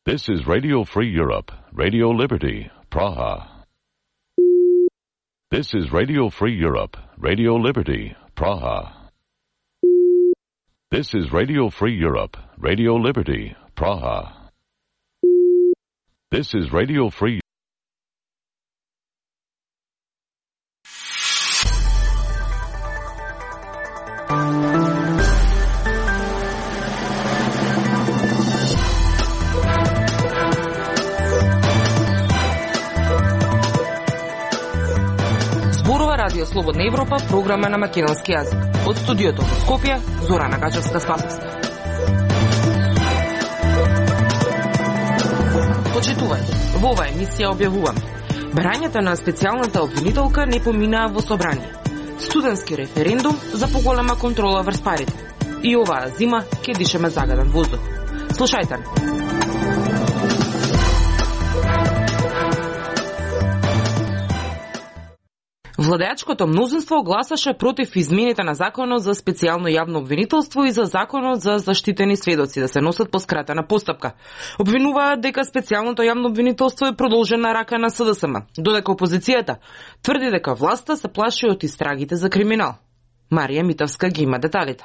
This is Radio Free Europe, Radio Liberty, Praha. This is Radio Free Europe, Radio Liberty, Praha. This is Radio Free Europe, Radio Liberty, Praha. This is Radio Free. Радио Слободна Европа, програма на македонски јазик. Од студиото во Скопје, Зорана Гачевска-Спасовска. Почитување, во оваа емисија објавуваме: барањата на специјалната обвинителка не поминаа во собрание. Студентски референдум за поголема контрола врз парите. И оваа зима ќе дишеме загаден воздух. Слушајте. Владеачкото мнозинство гласаше против измените на Законот за специјално јавно обвинителство и за Законот за заштитени сведоци да се носат по скратена постапка. Обвинуваат дека специјалното јавно обвинителство е продолжена рака на СДСМ, додека опозицијата тврди дека власта се плаши од истрагите за криминал. Марија Митовска ги има деталите.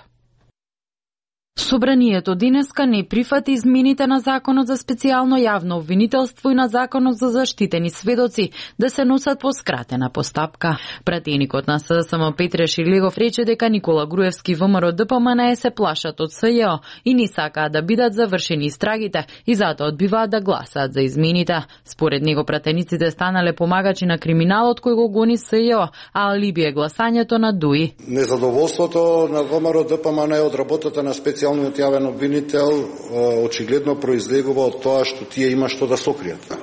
Собранието денеска не прифати измените на Законот за специјално јавно обвинителство и на Законот за заштитени сведоци да се носат по скратена постапка. Пратеникот на СДСМ Петре Ширлегов рече дека Никола Груевски ВМРО ДПМНЕ се плашат од СЈО и не сакаат да бидат завршени истрагите и затоа одбиваат да гласаат за измените. Според него пратениците станале помагачи на криминалот кој го гони СЈО, а алиби е гласањето на ДУИ. Незадоволството на ВМРО ДПМНЕ од работата на специјалниот јавен обвинител очигледно произлегува од тоа што тие има што да сокријат.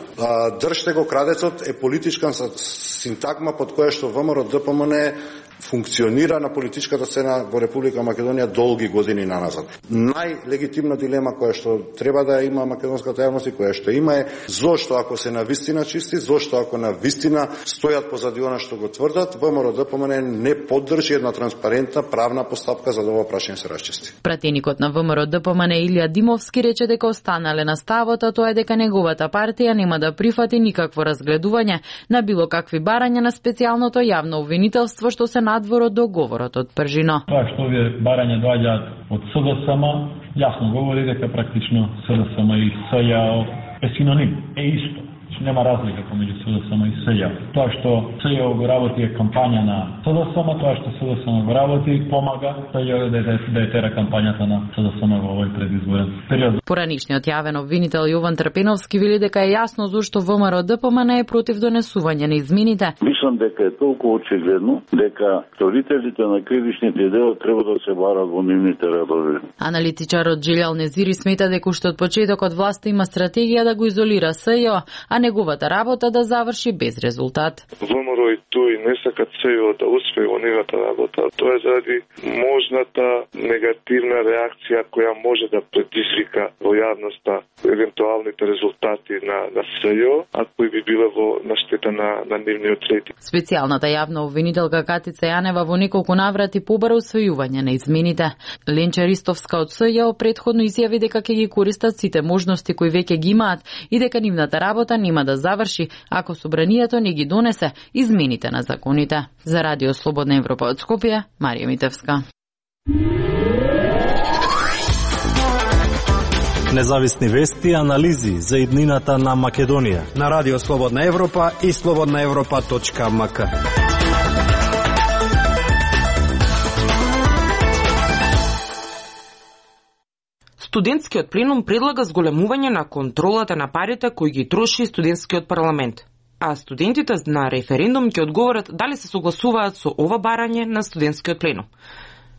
Држте го крадецот е политичка синтагма под која што ВМРО ДПМНЕ функционира на политичката сцена во Република Македонија долги години наназад. Најлегитимна дилема која што треба да има македонската јавност и која што има е зошто ако се навистина чисти, зошто ако навистина стојат позади она што го тврдат, ВМРО ДПМНЕ не поддржи една транспарентна правна постапка за да ова прашање се расчисти. Пратеникот на ВМРО ДПМНЕ Илија Димовски рече дека останале на ставот, а тоа е дека неговата партија нема да прифати никакво разгледување на било какви барања на специјалното јавно обвинителство што се надвор од договорот од Пржино. Тоа што овие барања доаѓаат од СДСМ, јасно говори дека практично СДСМ и СЈО е синоним, е исто. Нема разлика помеѓу СДСМ и СЈО. Тоа што СЈО го работи е кампања на СДСМ, тоа што СДСМ го работи помага СЈО да тера кампањата на СДСМ во овој предизборен период. Поранишниот јавен обвинител Јован Трпеновски вели дека е јасно зошто ВМРО ДПМНЕ е против донесување на измените. Мислам дека е толку очигледно дека сторителите на кривичните дела треба да се барат во нивните редови. Аналитичарот Джилјал Незири смета дека уште од почетокот власта има стратегија да го изолира СЈО, а неговата работа да заврши без резултат. ВМРО и ТУИ не сакат СЈО да успее во неговата работа. Тоа е заради можната негативна реакција која може да предизвика во јавноста евентуалните резултати на СЈО, а кои би биле на штета на нивниот рейтинг. Специјалната јавна обвинителка Катица Јанева во неколку наврати побара усвојување на измените. Ленча Ристовска од СЈО претходно изјави дека ќе ги користат сите можности кои веќе ги имаат и дека нивната работа нема да заврши ако собранието не ги донесе измените на законите. За Радио Слободна Европа од Скопје, Марија Митевска. Независни вести и анализи за иднината на Македонија на Радио Слободна Европа и slobodnaevropa.mk. Студентскиот пленум предлага зголемување на контролата на парите кои ги троши студентскиот парламент. А студентите на референдум ќе одговорат дали се согласуваат со ова барање на студентскиот пленум.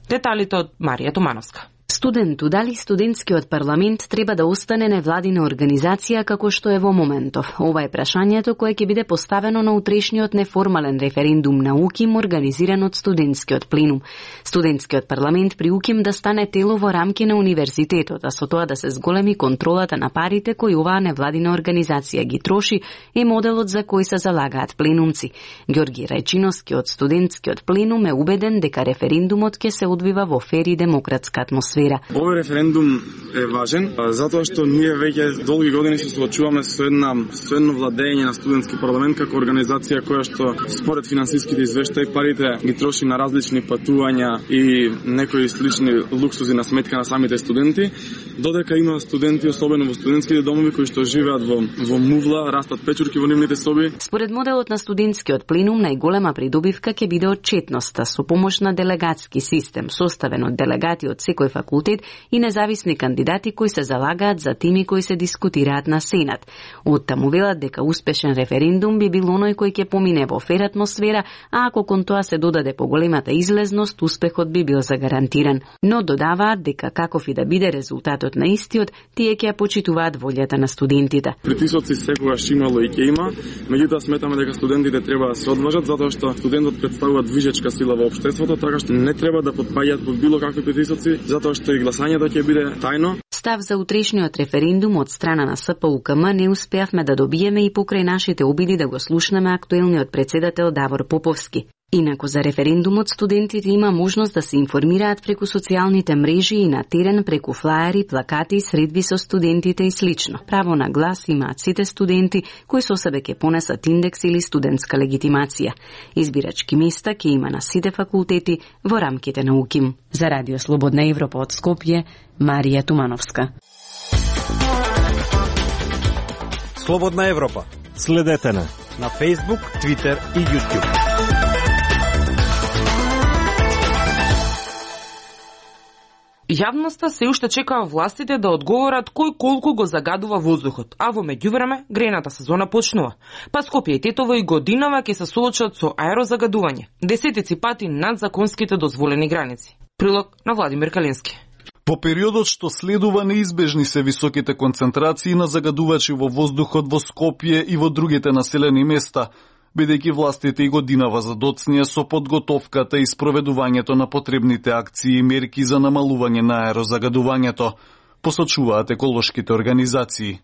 Деталите од Марија Томановска. Студенту, дали студентскиот парламент треба да остане невладина организација како што е во моментов? Ова е прашањето кое ќе биде поставено на утрешниот неформален референдум на УКИМ организиран од студентскиот пленум. Студентскиот парламент при УКИМ да стане тело во рамки на универзитетот, а со тоа да се зголеми контролата на парите кои оваа невладина организација ги троши е моделот за кој се залагаат пленумци. Ѓорги Рајчиновски од студентскиот пленум е убеден дека референдумот ќе се одвива во фер и демократска атмосфера. сфера. Овој референдум е важен, затоа што ние веќе долги години се соочуваме со едно владење на студентски парламент како организација која што според финансиските извештаи парите ги троши на различни патувања и некои слични луксузи на сметка на самите студенти, додека има студенти, особено во студентските домови кои што живеат во мувла, растат печурки во нивните соби. Според моделот на студентскиот пленум, најголема придобивка ќе биде отчетноста со помош на делегатски систем, составен од делегати од секој факултет и независни кандидати кои се залагаат за теми кои се дискутираат на Сенат. Оттаму велат дека успешен референдум би бил оној кој ќе помине во фер атмосфера, а ако кон тоа се додаде поголемата излезност, успехот би бил загарантиран. Но додаваат дека каков и да биде резултатот на истиот, тие ќе ја почитуваат волјата на студентите. Притисоци секогаш имало и ќе има, меѓутоа сметаме дека студентите треба да се одважат затоа што студентот представува движечка сила во општеството, така што не треба да потпаѓаат под било какви притисоци, затоа што и гласањето ќе биде тајно. Став за утрешниот референдум од страна на СПУКМ не успеавме да добиеме и покрај нашите обиди да го слушнеме актуелниот председател Давор Поповски. Инаку за референдумот студентите има можност да се информираат преку социјалните мрежи и на терен преку флаери, плакати, средби со студентите и слично. Право на глас имаат сите студенти кои со себе ќе понесат индекс или студентска легитимација. Избирачки места ќе има на сите факултети во рамките на УКИМ. За Радио Слободна Европа од Скопје, Марија Тумановска. Слободна Европа. Следете на Facebook, Twitter и YouTube. Јавноста се уште чекаа властите да одговорат кој колку го загадува воздухот, а во меѓувреме грејната сезона почнува. Па Скопје и Тетово и годинава ќе се соочат со аерозагадување, десетици пати над законските дозволени граници. Прилог на Владимир Калински. По периодот што следува неизбежни се високите концентрации на загадувачи во воздухот во Скопје и во другите населени места, бидејќи властите и годинава задоцнија со подготовката и спроведувањето на потребните акции и мерки за намалување на аерозагадувањето, посочуваат еколошките организации.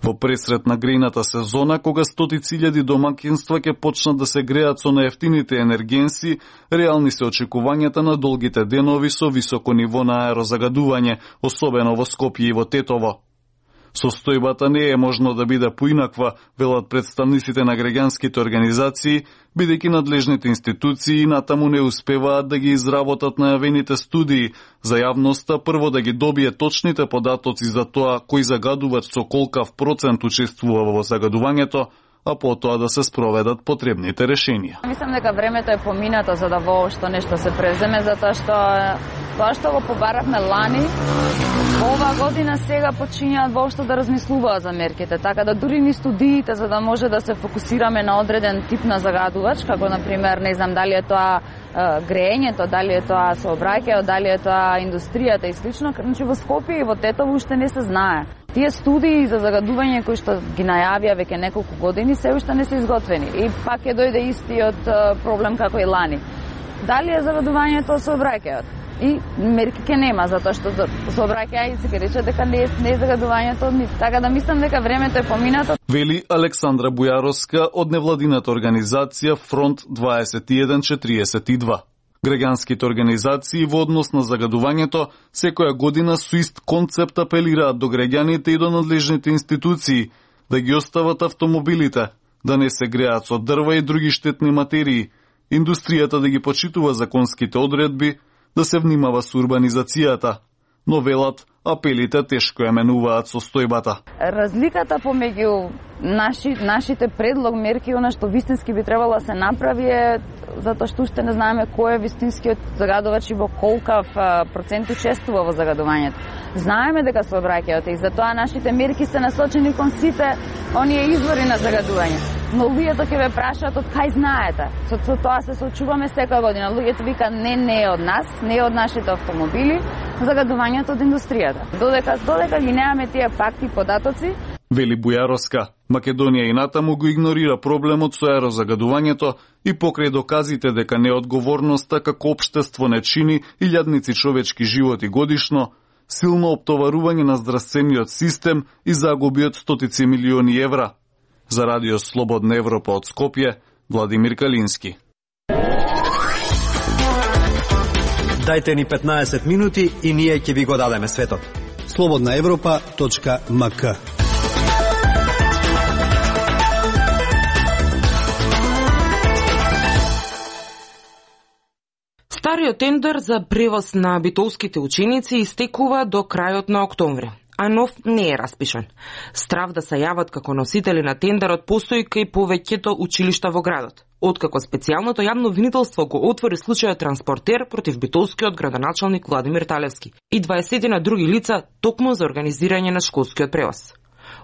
Во пресрет на грејната сезона, кога стотици илјади домакинства ќе почнат да се греат со наевтините енергенси, реални се очекувањата на долгите денови со високо ниво на аерозагадување, особено во Скопје и во Тетово. Состојбата не е можно да биде поинаква, велат представниците на граѓанските организации, бидејќи надлежните институции натаму не успеваат да ги изработат најавените студии за јавноста, прво да ги добие точните податоци за тоа кој загадувач со колкав процент учествува во загадувањето, а потоа да се спроведат потребните решенија. Мислам дека времето е поминато за да воопшто нешто се преземе, затоа што тоа што го побаравме лани, ова година сега почињаат воопшто да размислуваат за мерките, така да дури ни студиите за да може да се фокусираме на одреден тип на загадувач, како например, не знам дали е тоа греењето, дали е тоа сообраќајот, дали е тоа индустријата и слично, значи во Скопје и во Тетово уште не се знае. Тие студии за загадување кои што ги најавија веќе неколку години се уште не се изготвени и пак ќе дојде истиот проблем како и лани. Дали е загадувањето сообраќајот? И мерки ке нема, затоа што сообраќајот се рече дека не е загадувањето, така да мислам дека времето е поминато. Вели Александра Бујаровска од невладината организација Фронт 2142. Граѓанските организации во однос на загадувањето секоја година со ист концепт апелираат до граѓаните и до надлежните институции да ги остават автомобилите, да не се греат со дрва и други штетни материи, индустријата да ги почитува законските одредби, да се внимава со урбанизацијата, но велат апелите тешко ја менуваат состојбата. Разликата помеѓу нашите предлог мерки и она што вистински би требало да се направи е затоа што уште не знаеме кој е вистинскиот загадувач и во колкав процент учествува во загадувањето. Знаеме дека сообраќајот и затоа нашите мерки се насочени кон сите оние извори на загадување. Но луѓето ќе ве прашаат од кај знаете. Со тоа се соочуваме секоја година. Луѓето викаат не е од нас, не е од нашите автомобили, загадувањето од индустријата. Додека ги немаме тие факти и податоци. Вели Бујаровска, Македонија и натаму го игнорира проблемот со аерозагадувањето и покрај доказите дека неодговорноста како општество не чини илјадници човечки животи годишно, силно оптоварување на здравствениот систем и загуби од стотици милиони евра. За Радио Слободна Европа од Скопје, Владимир Калински. Дајте ни 15 минути и ние ќе ви го дадеме светот. slobodnaevropa.mk. Стариот тендер за превоз на битолските ученици истекува до крајот на октомври, а нов не е распишан. Страв да се јават како носители на тендерот постои кај повеќето училишта во градот. Откако специјалното јавно обвинителство го отвори случајот Транспортер против битолскиот градоначалник Владимир Талевски и 20 на други лица токму за организирање на школскиот превоз.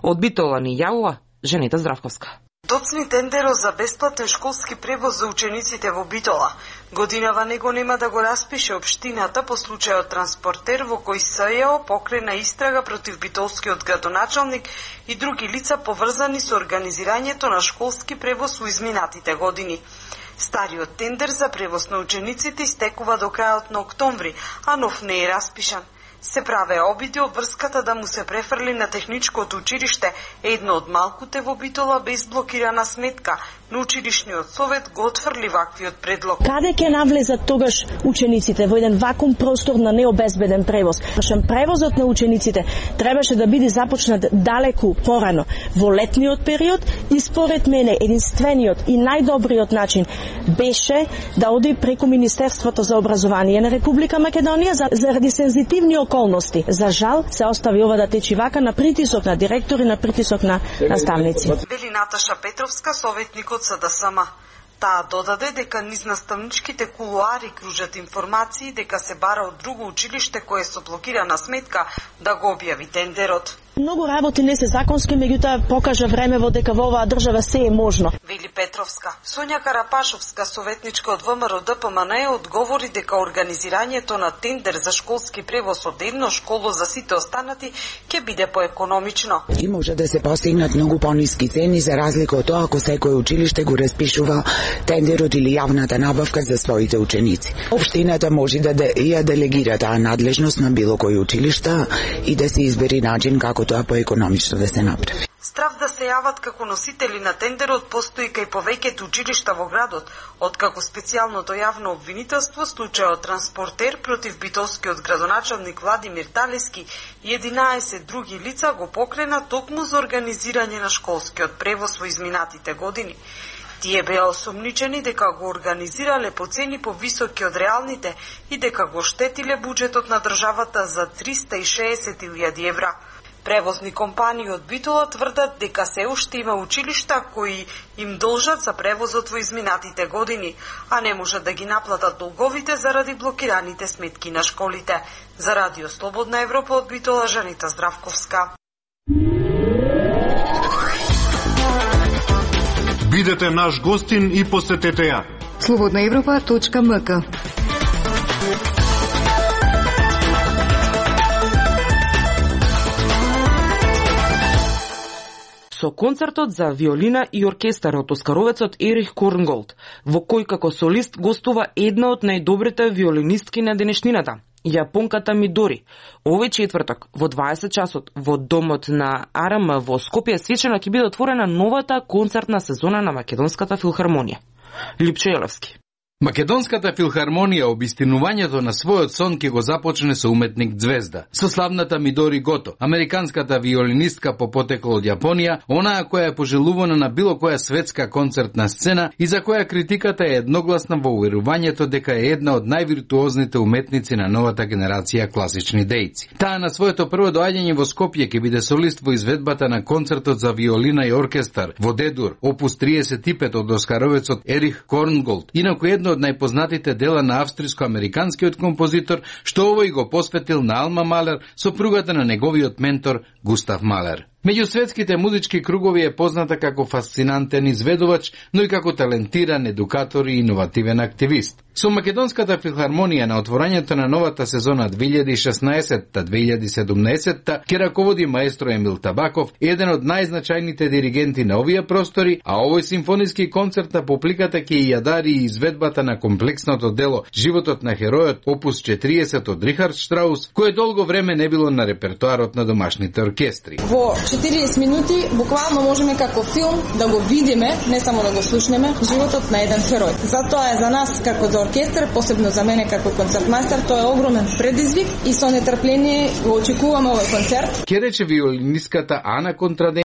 Од Битола ни јавува Жанета Здравковска. Доцни тендерот за бесплатен школски превоз за учениците во Битола. Годинава него нема да го распише општината по случајот Транспортер во кој СЈО покрена истрага против битолскиот градоначалник и други лица поврзани со организирањето на школски превоз во изминатите години. Стариот тендер за превоз на учениците истекува до крајот на октомври, а нов не е распишан. Се праве обиди обврската да му се префрли на техничкото училиште, едно од малкуте во Битола без блокирана сметка, но училишниот совет го отфрли ваквиот предлог. Каде ќе навлезат тогаш учениците во еден вакуум простор на необезбеден превоз? Превозот на учениците требаше да биде започнат далеку порано, во летниот период, и според мене единствениот и најдобриот начин беше да оди преку Министерството за образование на Република Македонија заради сензитивни околности. За жал се остави ова да течи вака на притисок на директори, на притисок на наставници. Вели Наташа Петровска, советник од СДСМ. Таа додаде дека низ наставничките кулуари кружат информации дека се бара од друго училиште кое со блокирана сметка да го објави тендерот. Многу работи не се законски, меѓутоа покажа времево дека во оваа држава се е можно. Вели Петровска. Сонја Карапашовска, советничка од ВМРО ДПМН, одговори дека организирањето на тендер за школски превоз од едно школо за сите останати ќе биде поекономично. И може да се постигнат многу пониски цени за разлика од тоа ако секој училиште го распишува тендерот или јавната набавка за своите ученици. Општината може да ја делегира таа надлежност на било кој училишта и да се избери начин како тоа поекономично да се направи. Страв да се јават како носители на тендерот постои кај повеќето училишта во градот, откако специјалното јавно обвинителство случајот Транспортер против битолскиот градоначалник Владимир Талевски и 11 други лица го покрена токму за организирање на школскиот превоз во изминатите години. Тие беа осомничени дека го организирале по цени повисоки од реалните и дека го штетиле буџетот на државата за 360.000 евра. Превозни компании од Битола тврдат дека се уште има училишта кои им должат за превозот во изминатите години, а не можат да ги наплатат долговите заради блокираните сметки на школите. За Радио Слободна Европа од Битола, Жанета Здравковска. Бидете наш гостин и посетете ја. slobodnaevropa.mk. Со концертот за виолина и оркестар од оскаровецот Ерих Корнголд, во кој како солист гостува една од најдобрите виолинистки на денешнината, јапонката Мидори. Овој четврток во 20 часот во домот на АРМ во Скопје свечено ќе биде отворена новата концертна сезона на Македонската филхармонија. Липчо Јелевски. Македонската филхармонија обистинувањето на својот сон ќе го започне со уметник Ѕвезда, со славната Мидори Гото, американската виолинистка по потекло од Јапонија, онаа која е пожелувана на било која светска концертна сцена и за која критиката е едногласна во уверувањето дека е една од највиртуозните уметници на новата генерација класични дејци. Таа на своето прво доаѓање во Скопје ќе биде солист во изведбата на концертот за виолина и оркестар во Д-дур, опус 35 од оскаровецот Ерих Корнголд, инаку едно од најпознатите дела на австриско-американскиот композитор, што овој го посветил на Алма Малер, сопругата на неговиот ментор Густав Малер. Меѓу светските музички кругови е позната како фасцинантен изведувач, но и како талентиран едукатор и иновативен активист. Со Македонската филхармонија на отворањето на новата сезона 2016-2017 ќе раководи маестро Емил Табаков, еден од најзначајните диригенти на овие простори, а овој симфониски концерт на публиката ќе ја дари и изведбата на комплексното дело Животот на херојот, опус 40 од Рихард Штраус, кое долго време не било на репертоарот на домашните оркестри. Во 40 минути буквално можеме како филм да го видиме, не само да го слушнеме, животот на еден херој. Затоа е за нас како за оркестар, посебно за мене како концертмајстер, тоа е огромен предизвик и со нетрпление го очекуваме овој концерт. Ке рече виолинистката Ана Контраден